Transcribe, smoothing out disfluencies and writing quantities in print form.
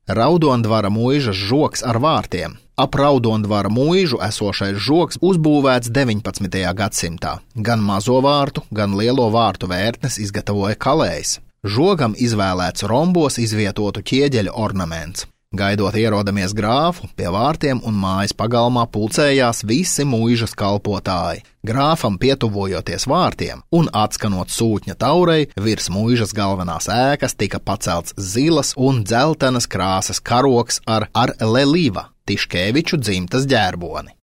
Raudondvara muižas žogs ar vārtiem. Ap Raudondvara muižu esošais žogs uzbūvēts 19. gadsimtā. Gan mazo vārtu, gan lielo vārtu vērtnes izgatavoja kalējs. Žogam izvēlēts rombos izvietotu ķieģeļu ornaments. Gaidot ierodamies grāfu, pie vārtiem un mājas pagalmā pulcējās visi muižas kalpotāji. Grāfam pietuvojoties vārtiem un atskanot sūtņa taurei, virs muižas galvenās ēkas tika pacelts zilas un dzeltenas krāsas karogs ar Leliva, Tiškeviču dzimtas ģērboni.